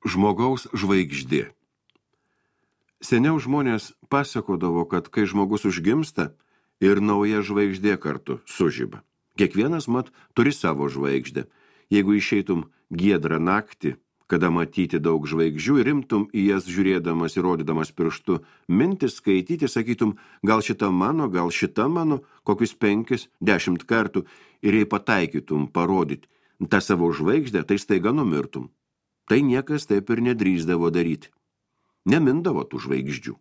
Žmogaus žvaigždė. Seniau žmonės pasakodavo, kad kai žmogus užgimsta ir nauja žvaigždė kartu sužiba. Kiekvienas mat turi savo žvaigždę. Jeigu išeitum giedrą naktį, kada matyti daug žvaigždžių ir imtum į jas žiūrėdamas ir rodydamas pirštu, mintis skaityti, sakytum, gal šita mano, kokius 5-10 kartų, ir jei pataikytum parodyti tą savo žvaigždę, tai staiga numirtum. Tai niekas taip ir nedrįsdavo daryti. Nemindavo tų žvaigždžių.